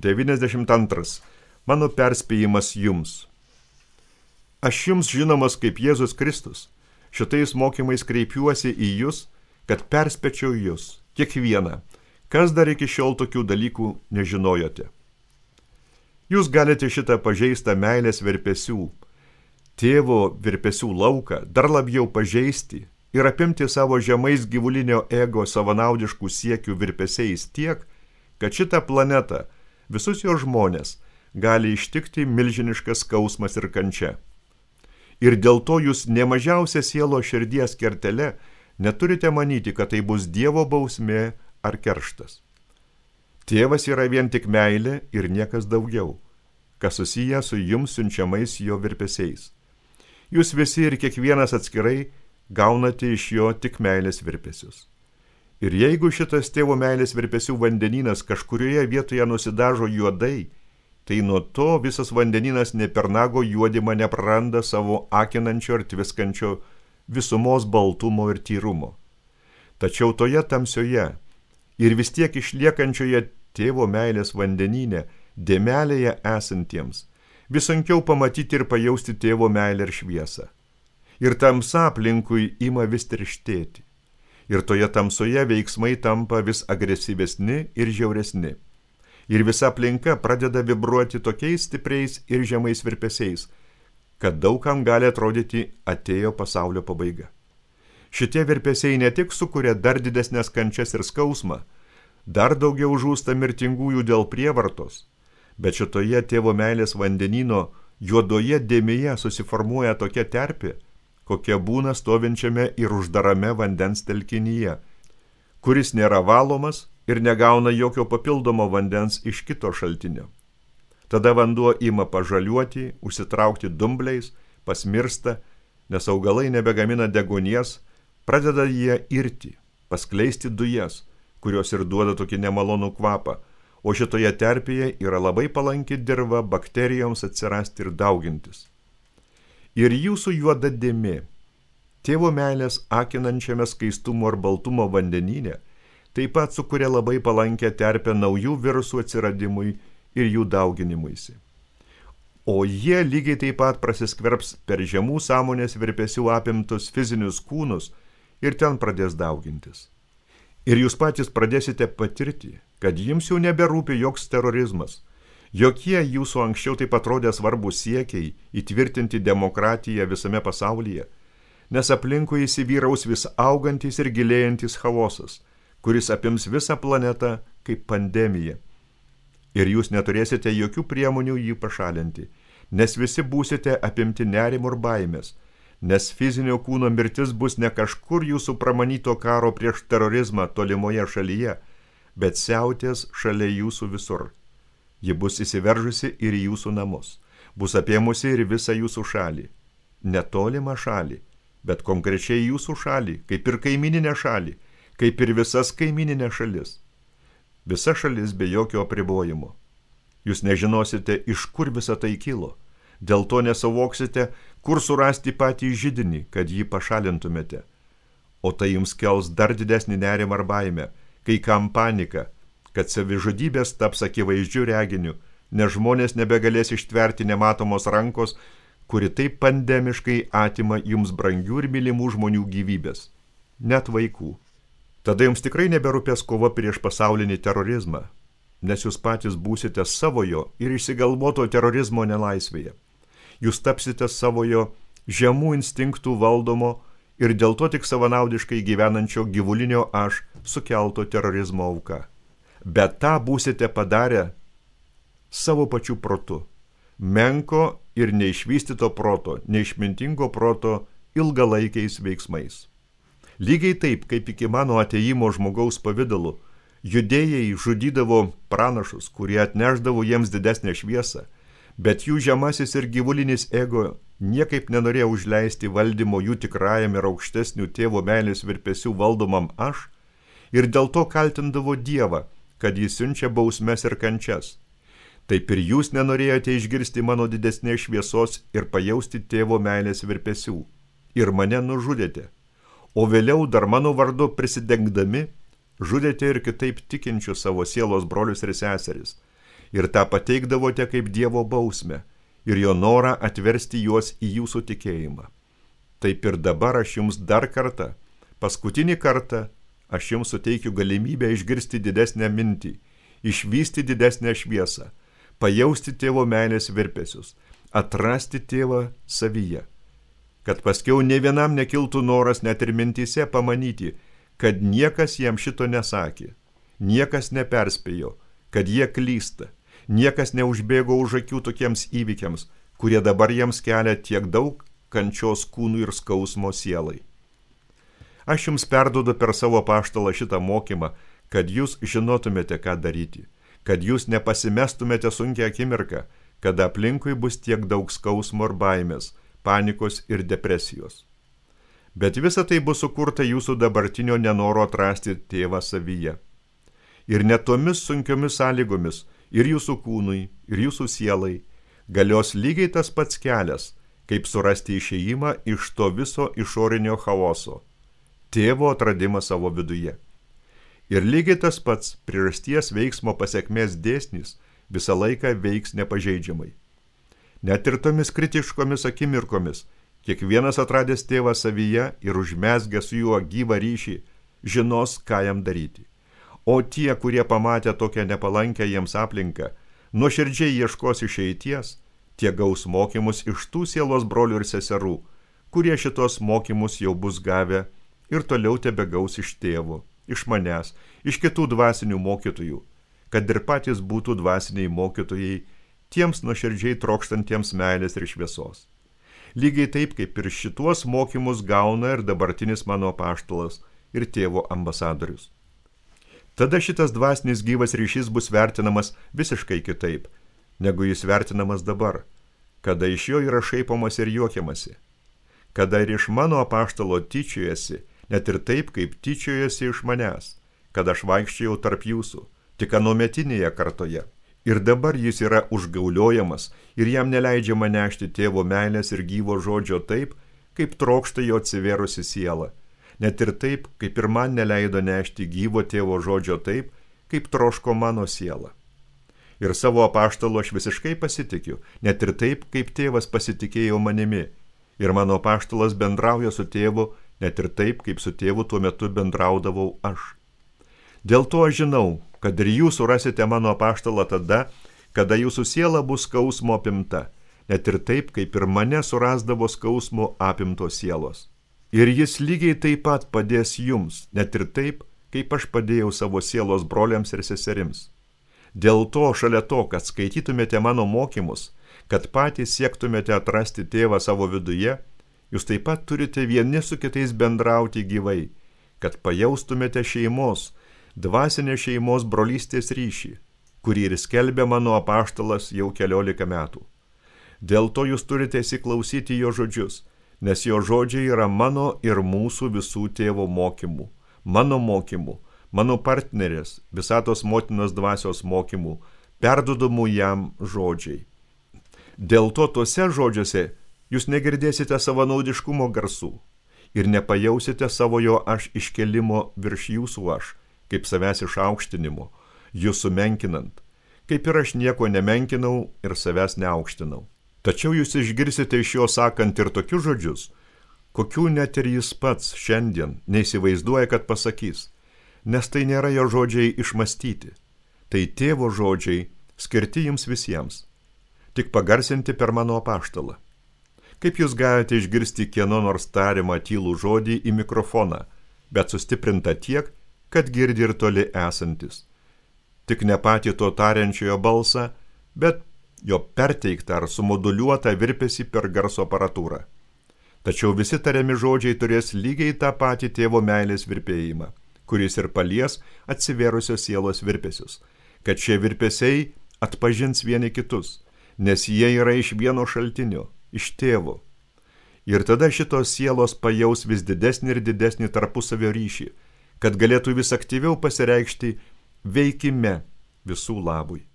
92. Mano perspėjimas jums. Aš jums žinomas kaip Jėzus Kristus. Šitais mokymais kreipiuosi į jūs, kad perspėčiau jūs, kiekvieną, kas dar iki šiol tokių dalykų nežinojote. Jūs galite šitą pažeistą meilės virpesių, tėvo virpesių lauką dar labiau pažeisti ir apimti savo žemais gyvulinio ego savanaudiškų siekių virpesiais tiek, kad šitą planetą, visus jo žmonės, gali ištikti milžiniškas skausmas ir kančia. Ir dėl to jūs nemažiausia sielo širdies kertele neturite manyti, kad tai bus Dievo bausmė ar kerštas. Tėvas yra vien tik meilė ir niekas daugiau, kas susiję su jums siunčiamais jo virpesiais. Jūs visi ir kiekvienas atskirai gaunate iš jo tik meilės virpesius. Ir jeigu šitas tėvo meilės virpesių vandenynas kažkurioje vietoje nusidažo juodai, tai nuo to visas vandenynas ne per nago juodimą nepraranda savo akinančio ir tviskančio visumos baltumo ir tyrumo. Tačiau toje tamsioje ir vis tiek išliekančioje tėvo meilės vandenyne, dėmelėje esantiems, vis sunkiau pamatyti ir pajausti tėvo meilę ir šviesą. Ir tamsa aplinkui ima vis tirštėti. Ir toje tamsoje veiksmai tampa vis agresyvesni ir žiauresni. Ir visa aplinka pradeda vibruoti tokiais stipriais ir žemais virpesiais, kad daugam gali atrodyti atėjo pasaulio pabaiga. Šitie virpesiai ne tik sukuria dar didesnės kančias ir skausmą, dar daugiau žūsta mirtingųjų dėl prievartos, bet šitoje tėvo meilės vandenyno juodoje dėmėje susiformuoja tokia terpė, kokia būna stovinčiame ir uždarame vandens telkinyje, kuris nėra valomas ir negauna jokio papildomo vandens iš kito šaltinio. Tada vanduo ima pažaliuoti, užsitraukti dumbliais, pasmirsta, nes augalai nebegamina deguonies, pradeda jie irti, paskleisti dujas, kurios ir duoda tokį nemalonų kvapą, o šitoje terpėje yra labai palanki dirva bakterijoms atsirasti ir daugintis. Ir jūsų juoda dėmė, tėvo meilės akinančiame skaistumo ir baltumo vandenyne, taip pat sukuria labai palankę terpę naujų virusų atsiradimui ir jų dauginimuisi. O jie lygiai taip pat prasiskverbs per žemų sąmonės virpesių apimtus fizinius kūnus ir ten pradės daugintis. Ir jūs patys pradėsite patirti, kad jums jau neberūpi joks terorizmas, jokie jūsų anksčiau taip atrodė svarbus siekiai įtvirtinti demokratiją visame pasaulyje, nes aplinkui įsivyraus vis augantis ir gilėjantis chaosas, kuris apims visą planetą kaip pandemija. Ir jūs neturėsite jokių priemonių jį pašalinti, nes visi būsite apimti nerimo ir baimės, nes fizinio kūno mirtis bus ne kažkur jūsų pramanyto karo prieš terorizmą tolimoje šalyje, bet siautės šalia jūsų visur. Ji bus įsiveržusi ir į jūsų namus, bus apėmusi ir visą jūsų šalį. Netolimą šalį, bet konkrečiai jūsų šalį, kaip ir kaimininę šalį, kaip ir visas kaimininė šalis. Visa šalis be jokio apribojimo. Jūs nežinosite, iš kur visa tai kilo, dėl to nesuvoksite, kur surasti patį židinį, kad jį pašalintumėte. O tai jums kels dar didesnį nerimą ar baimę, kai kam panika, kad savižudybės taps akivaizdžiu reginiu, nes žmonės nebegalės ištverti nematomos rankos, kuri taip pandemiškai atima jums brangių ir mylimų žmonių gyvybės, net vaikų. Tada jums tikrai neberūpės kova prieš pasaulinį terorizmą, nes jūs patys būsite savojo ir išsigalvoto terorizmo nelaisvėje. Jūs tapsite savojo žemų instinktų valdomo ir dėl to tik savanaudiškai gyvenančio gyvulinio aš sukelto terorizmo auka. Bet tą būsite padarę savo pačių protu, menko ir neišvystyto proto, neišmintingo proto ilgalaikiais veiksmais. Lygiai taip, kaip iki mano atėjimo žmogaus pavidalu, judėjai žudydavo pranašus, kurie atnešdavo jiems didesnę šviesą, bet jų žemasis ir gyvulinis ego niekaip nenorėjo užleisti valdymo jų tikrajam ir aukštesnių tėvo meilės virpesių valdomam aš ir dėl to kaltindavo Dievą, kad jis siunčia bausmes ir kančias. Taip ir jūs nenorėjote išgirsti mano didesnės šviesos ir pajausti tėvo meilės virpesių. Ir mane nužudėte. O vėliau dar mano vardu prisidengdami, žudėte ir kitaip tikinčius savo sielos brolius ir seseris. ir tą pateikdavote kaip Dievo bausmę ir jo norą atversti juos į jūsų tikėjimą. Taip ir dabar aš jums dar kartą, paskutinį kartą, aš jums suteikiu galimybę išgirsti didesnę mintį, išvysti didesnę šviesą, pajausti tėvo meilės virpesius, atrasti tėvą savyje, kad paskiau ne vienam nekiltų noras net ir mintyse pamanyti, kad niekas jam šito nesakė, niekas neperspėjo, kad jie klysta, niekas neužbėgo už akių tokiems įvykiams, kurie dabar jiems kelia tiek daug kančios kūnų ir skausmo sielai. Aš jums perduodu per savo apaštalą šitą mokymą, kad jūs žinotumėte, ką daryti, kad jūs nepasimestumėte sunkią akimirką, kada aplinkui bus tiek daug skausmo ir baimės, panikos ir depresijos. Bet visa tai bus sukurta jūsų dabartinio nenoro atrasti tėvą savyje. Ir net tomis sunkiomis sąlygomis ir jūsų kūnui, ir jūsų sielai galios lygiai tas pats kelias, kaip surasti išėjimą iš to viso išorinio chaoso, tėvo atradimą savo viduje. Ir lygiai tas pats priežasties veiksmo pasekmės dėsnis visą laiką veiks nepažeidžiamai. Net ir tomis kritiškomis akimirkomis, kiekvienas atradęs tėvą savyje ir užmezgęs su juo gyvą ryšį, žinos, ką jam daryti. O tie, kurie pamatė tokią nepalankę jiems aplinką, nuoširdžiai ieškos išeities, tie gaus mokymus iš tų sielos brolių ir seserų, kurie šitos mokymus jau bus gavę ir toliau tebegaus iš tėvų, iš manęs, iš kitų dvasinių mokytojų, kad ir patys būtų dvasiniai mokytojai tiems nuoširdžiai trokštantiems meilės ir šviesos. Lygiai taip, kaip ir šituos mokymus gauna ir dabartinis mano apaštalas ir tėvo ambasadorius. Tada šitas dvasinis gyvas ryšys bus vertinamas visiškai kitaip, negu jis vertinamas dabar, kada iš jo yra šaipomas ir juokiamasi, kada ir iš mano apaštalo tyčiojasi, net ir taip, kaip tyčiojasi iš manęs, kad aš vaikščiojau tarp jūsų, tik anuometinėje kartoje. Ir dabar jis yra užgauliojamas ir jam neleidžiama nešti tėvo meilės ir gyvo žodžio taip, kaip trokšta jo atsivėrusi siela, net ir taip, kaip ir man neleido nešti gyvo tėvo žodžio taip, kaip troško mano siela. Ir savo apaštalu aš visiškai pasitikiu, net ir taip, kaip tėvas pasitikėjo manimi, ir mano apaštalas bendrauja su tėvu, net ir taip, kaip su tėvu tuo metu bendraudavau aš. Dėl to aš žinau, kad ir jūs surasite mano apaštalą tada, kada jūsų siela bus skausmo apimta, net ir taip, kaip ir mane surasdavo skausmo apimtos sielos. Ir jis lygiai taip pat padės jums, net ir taip, kaip aš padėjau savo sielos broliams ir seserims. Dėl to, šalia to, kad skaitytumėte mano mokymus, kad patys siektumėte atrasti tėvą savo viduje, jūs taip pat turite vieni su kitais bendrauti gyvai, kad pajaustumėte šeimos, dvasinės šeimos brolystės ryšį, kurį ir skelbia mano apaštalas jau 14 metų. Dėl to jūs turite įsiklausyti jo žodžius, nes jo žodžiai yra mano ir mūsų visų tėvo mokymų, mano partnerės, visatos motinos dvasios mokymų, perdodamų jam žodžiai. Dėl to tuose žodžiuose jūs negirdėsite savanaudiškumo garsų ir nepajausite savo jo aš iškelimo virš jūsų aš, kaip savęs išaukštinimo, jūs sumenkinant, kaip ir aš nieko nemenkinau ir savęs neaukštinau. Tačiau jūs išgirsite iš jo sakant ir tokius žodžius, kokių net ir jis pats šiandien neįsivaizduoja, kad pasakys, nes tai nėra jo žodžiai išmastyti, tai tėvo žodžiai skirti jums visiems, tik pagarsinti per mano apaštalą. Kaip jūs galite išgirsti kieno nors tariamą tylų žodį į mikrofoną, bet sustiprinta tiek, kad girdi ir toli esantis. Tik ne patį to tariančiojo balsą, bet jo perteiktą ar sumoduliuotą virpesį per garso aparatūrą. Tačiau visi tariami žodžiai turės lygiai tą patį tėvo meilės virpėjimą, kuris ir palies atsivėrusios sielos virpesius, kad šie virpesiai atpažins vieni kitus, nes jie yra iš vieno šaltinio, iš tėvo. Ir tada šitos sielos pajaus vis didesnį ir didesnį tarpusavio ryšį, kad galėtų vis aktyviau pasireikšti veikime visų labui.